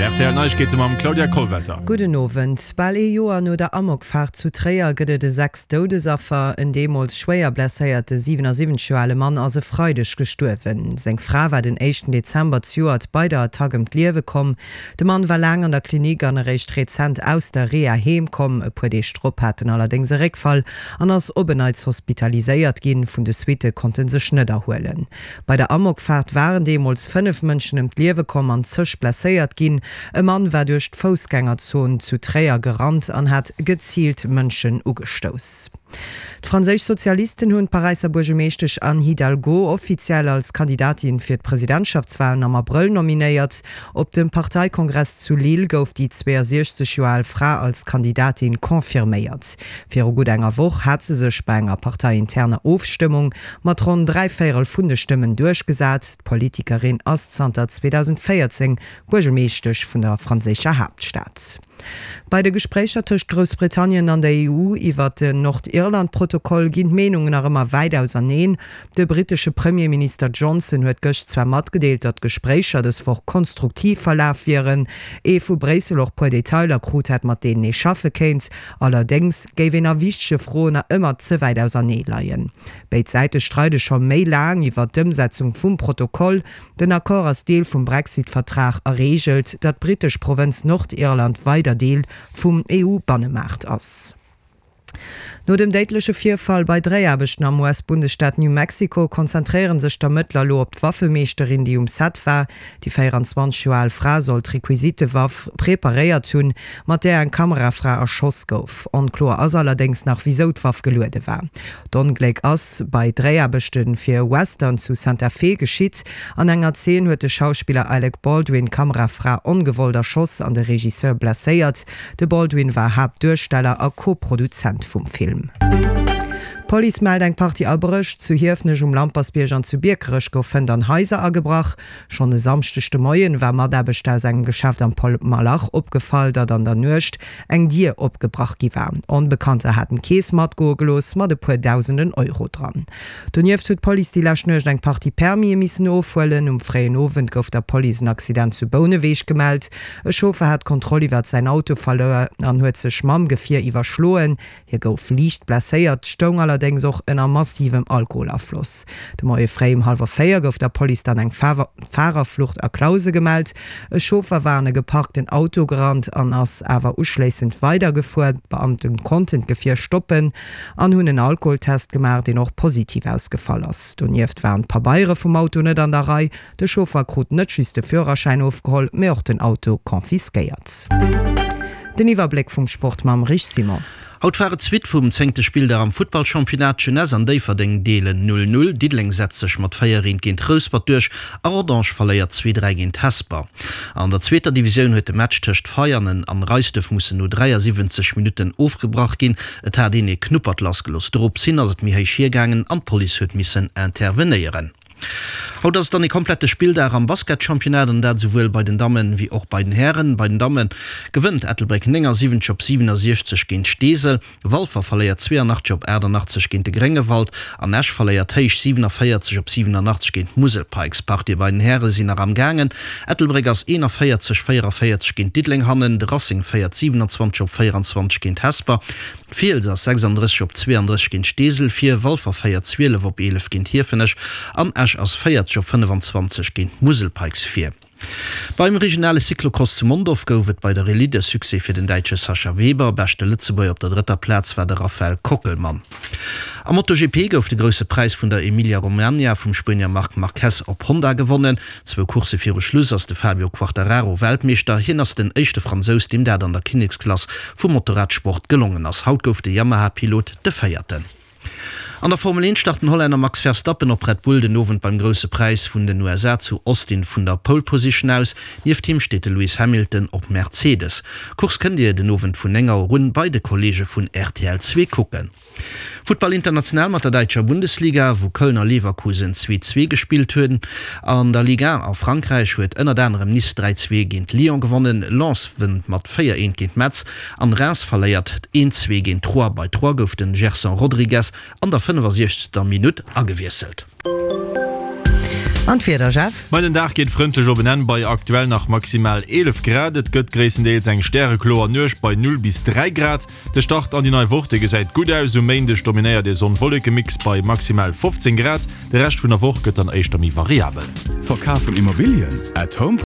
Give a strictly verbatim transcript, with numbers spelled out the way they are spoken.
Rtl Neiegkeete mam Claudia Kollwelter. Gudden Owend. Bal ee Joer no der Amokfaart zu Tréier gëtt et e sechst Doudesaffer. En deemools schwéier blesséierte siwenasiwwenzeg Joer ale Mann ass e Freideg gestuerwen. Seng Fra war den éischten Dezember zejoert bei der Attack ëm d'Liewe komm. De Mann war laang an der Klinik an eréischt rezent aus der Reha heem komm. E puer Deeg drop hat en allerdéngs e Réckfall an ass op en Neits hospitaliséiert ginn. Vun de Suitte konnt en sech net erhuelen. Bei der Amokfaart waren deemools fënnef Mënschen ëm d'Liewe komm an zëch blesséiert ginn. E Mann war duerch d'Foussgängerzon zu Tréier gerannt an hat geziilt Mënschen ugestouss. D'franséisch Sozialisten hunn d'Paräisser Buergermeeschtesch Anne Hidalgo offiziell als Kandidatin fir d'Presidentschaftswalen am Abrëll nominéiert. Op dem Parteikongress zu Lille gouf déi zweeësiechzeg Joer al Fra als Kandidatin confirméiert. Viru gutt enger Woch hat se sech bei enger parteiinterner Ofstëmmung mat ronn dräi Véierel vun de Stëmmen duerchgesat. D'Politikerin ass zanter zweedausendvéierzéng Buergermeeschtesch vun der franséischer Haaptstad. Bei de Gespréicher tëscht Groussbritannien an der E U iwwert den Nordirland-Protokoll ginn d'Meenungen nach ëmmer wäit auserneen. De brittesche Premierminister Johnson huet gëscht zwar matgedeelt, datt d'Gespréicher dës Woch konstruktiv verlaf wieren, ee vu Bréissel och puer Detailer krut hätt, mat deenen ee schaffe kéint. Allerdéngs géif een a wichtege Froen nach ëmmer ze wäit ausernee leien. Béid Säite streide scho méi laang iwwert d'Ëmsetzung vum Protokoll. Den Accord ass Deel vum Brexit-Vertrag a reegelt, datt d'brittesch Provënz Nordirland weider Deel vum E U-Bannemaart ass. No dem déidleche Virfall bei Dréiaarbechten am U S-Bundesstaat New Mexico konzentréiere sech d'Ermëttler elo op d'Waffemeeschterin, déi um Set war. Déi véieranzwanzeg Joer al Fra soll d'Requisitewaff preparéiert hunn, mat där eng Kamerafra erschoss gouf. Onkloer ass allerdéngs nach, wisou d'Waff geluede war. D'Ongléck ass bei Dréiaarbechte fir e Western zu Santa Fe geschitt. An enger Zeen huet de Schauspiller Alec Baldwin d'Kamerafra ongewollt erschoss an de Regisseur blesséiert. De Baldwin war Haaptduersteller a Co-Produzent vum Film. D'Police mellt eng Partie Abréch. Zu Hiefenech um Lampersbierg an zu Biekerech gouf fënnt an Haiser agebrach. Schonn e Samschdeg de Moien war Mataarbechter aus engem Geschäft am Paul Malach opgefall, datt an der Nuecht eng Dier opgebrach gi war. Onbekannter haten d'Keess matgoe gelooss mat e puer dausenden Euro dran. Donieft huet d'Police déi lescht Nuecht eng Partie Permise missen ofhuelen. Um fréien Owend gouf der Police en Accident zu Bouneweg gemellt. E Chauffer hat d'Kontroll iwwert säin Auto verluer an huet sech mam Gefier iwwerschloen. Hie gouf liicht blesséiert, stoung allerdéngs och ënner massivem Alkoholafloss. De Moie fréi um hallwer véier gouf der Police dann eng Farerflucht a Clausen gemellt. E Chauffer war an e geparkten Auto gerannt an ass awer uschléissend weidergefuer. D'Beamte konnten d'Gefier stoppen an hunn en Alkoholtest gemaach, deen och positiv ausgefall ass. Donieft waren d'Pabeiere vum Auto net an der Rei. De Chauffer krut net just de Führerschäin ofgeholl, mee och den Auto confisquéiert. Den Iwwerbléck vum Sport mam Rich Simon. Haut war et d'Suite vum zéngte Spilldag am Futtballchampionnat. D'Jeunesse an Déifferdeng deelen null null, Diddeleng setzt sech mat véier eent géint Rouspert duerch a Rodange verléiert zwee dräi géint Hesper. An der zweeter Divisioun huet de Match tëscht Veianen an Reisduerf mussen no dräiasiwwenzeg Minutten ofgebrach ginn. Et hat een ee Knuppert lassgelooss. Dorops hin ass et méi héich hiergaangen an d'Police huet missen intervenéieren. Haut ass et dann ee komplette Spilldag am Basketchampionnat an dat esouwuel bei den Dammen wéi och bei den Hären. Bei den Damme gewënnt Ettelbréck néngasiwwenzeg op siwenasiechzeg géint Steesel, Walfer verléiert zweeënachtzeg op achtannachtzeg géint de Gréngewald an Esch verléiert héich siwenavéierzeg op siwenannachtzeg géint d'Musel Pikes. D'Partië bei den Häre sinn nach am gaangen. Ettelbréck ass eenavéierzeg, véieravéierzeg géint Diddeleng hannen, de Racing féiert siwenanzwanzeg op véieranzwanzeg géint Hesper. D'Fiels ass sechsanddrësseg op zweeandrësseg géint Steesel vir, Walfer féiert zwielef op eelef géint Hiefenech an Esch ass véierzeg op fënnefanzwanzeg géint d'Musel Pikes vir. Beim regionale Cyclocross zu Mondorf gouf et bei der Elite e Succès fir den Däitsche Sascha Weber. Beschte Lëtzebuerger op der drëtter Plaz war de Raphael Kockelmann. Am MotoGP gouf de Grousse Präis vun der Emilia-Romagna vum Spuenier Marc Marquez op Honda gewonnen. Zwou Coursse viru Schluss ass de Fabio Quartararo Weltmeeschter. Hien ass den éischte Fransous, deem dat an der Kinneksklass vum Motorradsport gelongen ass. Haut gouf de Yamaha-Pilot de Véierten. An der Formel eent start den Hollänner Max Verstappen op Red Bull den Owend beim Grousse Präis vun den U S A zu Austin vun der Pole Position aus. Nieft him steet de Lewis Hamilton op Mercedes. D'Course kënnt Dir den Owend vun néng Auer un bei de Kolleege vun R T L zwee kucken. Futtball international mat der däitscher Bundesliga, wou Köln a Leverkusen zwee zwee gespillt hunn. An der Ligue un a Frankräich huet ënnert anerem Nice dräi zwee géint Lyon gewonnen, Lens wënnt mat véier eent géint Metz an Reims verléiert een zwee géint Troyes. Bei Troyes gouf den Gerson Rodrigues an der fënnefasiechzegster Minutt agewiesselt. An d'Wieder, Jeff? Ma den Dag geet frëndlech op en Enn bei aktuell nach maximal eelef Grad. Et gëtt gréisstendeels eng stärekloer Nuecht bei null bis dräi Grad. De Start an déi nei Woch, dee gesäit gutt aus. Um Méindeg dominéiert ee Sonn-Wolleke-Mix bei maximal fofzéng Grad. De Rescht vun der Woch gëtt dann éischter méi variabel. Verkaf vun Immobilien? At Home.